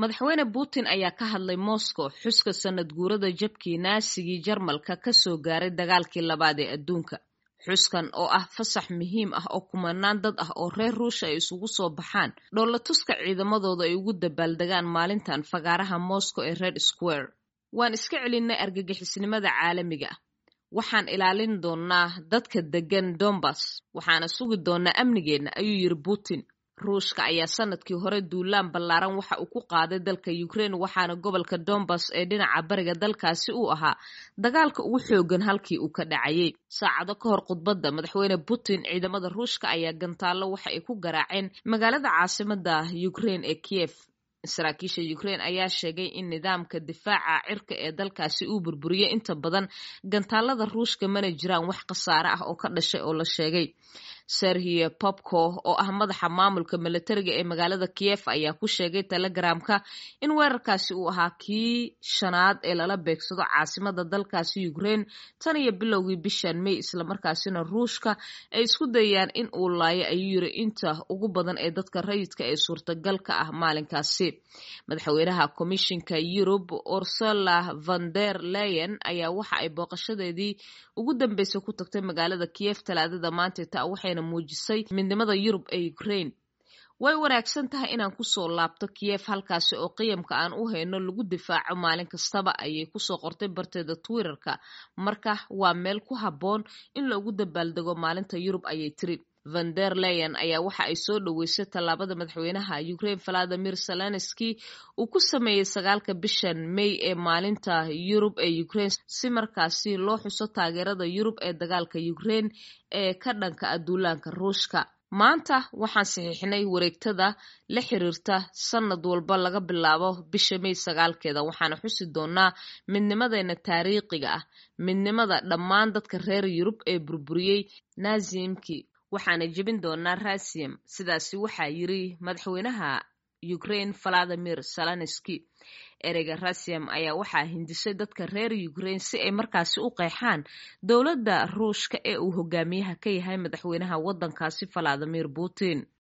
Madaxweyne Putin ayaa ka hadlay Moscow xuska sanad guurada jabkii Naasigii Jarmalka ka soo gaaray dagaalkii labaad ee adduunka. Xuskan oo ah fasax muhiim ah oo kumanaan dad ah oo reer Ruush ay isugu soo baxaan dhoolatuska ciidamadooda ay ugu dabaaldegaan maalintan fagaaraha Moscow ee Red Square. Waan iska celinnay argagixisnimada caalamiga ah. Waxaan ilaalin doonnaa dadka deggan Donbas, waxaana sugi doonnaa amnigeenna, ayuu yiri Putin. Ruushka ayaa sanadkii hore duulaan ballaaran waxa uu ku qaaday dalka Ukraine, waxaana gobolka Donbas ee dhinaca bariga dalkaasi uu ahaa dagaalka ugu xooggan halkii uu ka dhacayay. Saacado ka hor khudbadda madaxweyne Putin, ciidamada Ruushka ayaa gantaallo waxa ay ku garaaceen magaalada caasimadda Ukraine ee Kiev. Saraakiisha Ukraine ayaa sheegay in nidaamka difaaca cirka ee dalkaasi uu burburiyey inta badan gantaalada Ruushka, mana jiraan wax khasaare ah oo ka dhashay oo la sheegay. Serhiy Popko oo ah madaxa maamulka milatariga ee magaalada Kiev ayaa ku sheegay Telegramka in weerarkaasi uu ahaa kii shanaad ee lala beegsado caasimada dalkaasi Ukraine tan iyo bilowgii bishan May, islamarkaasina Ruushka ay isku dayayaan in uu laayo, ayuu yiri, inta ugu badan ee dadka rayidka ee suurtagalka ah maalinkaasi. Madaxweynaha Komishinka Yurub Ursula von der Leyen ayaa waxa ay booqashadeedii ugu dambeysay ku tagtay magaalada Kiev Talaadada maanta taa, waxayna muujisay midnimada Yurub ee Ukraine. Way wanaagsan tahay inaan kusoo laabto Kiev, halkaasi oo qiyamka aan u hayno lagu difaaco maalin kastaba, ayay kusoo qortay barteeda Twitterka. Marka waa meel ku habboon in loogu dabaaldego maalinta Yurub, ayay tiri. Van der Leyen ayaa waxa ay soo dhoweysay tallaabada madaxweynaha Ukraine Valadimir Zelenski uu ku sameeyey 9-ka bishan May ee maalinta Yurub ee Ukraine, si markaasi loo xuso taageerada Yurub ee dagaalka Ukraine ee ka dhanka ah duulaanka Ruushka. Maanta waxaan saxiixnay wareegtada la xiriirta sanad walba laga bilaabo bisha May 9-keeda, waxaana xusi doonaa midnimadeena taariikhiga ah, midnimada dhammaan dadka reer Yurub ee burburiyey Naazimkii, waxaana jebin doonaa Rasiyam, sidaasi waxaa yiri madaxweynaha Ukraine Valadimir Zelenski. Ereyga Rasiyam ayaa waxaa hindisay dadka reer Ukraine si ay markaasi u qeexaan dowladda Ruushka ee uu hogaamiyaha ka yahay madaxweynaha waddankaasi Valadimir Putin.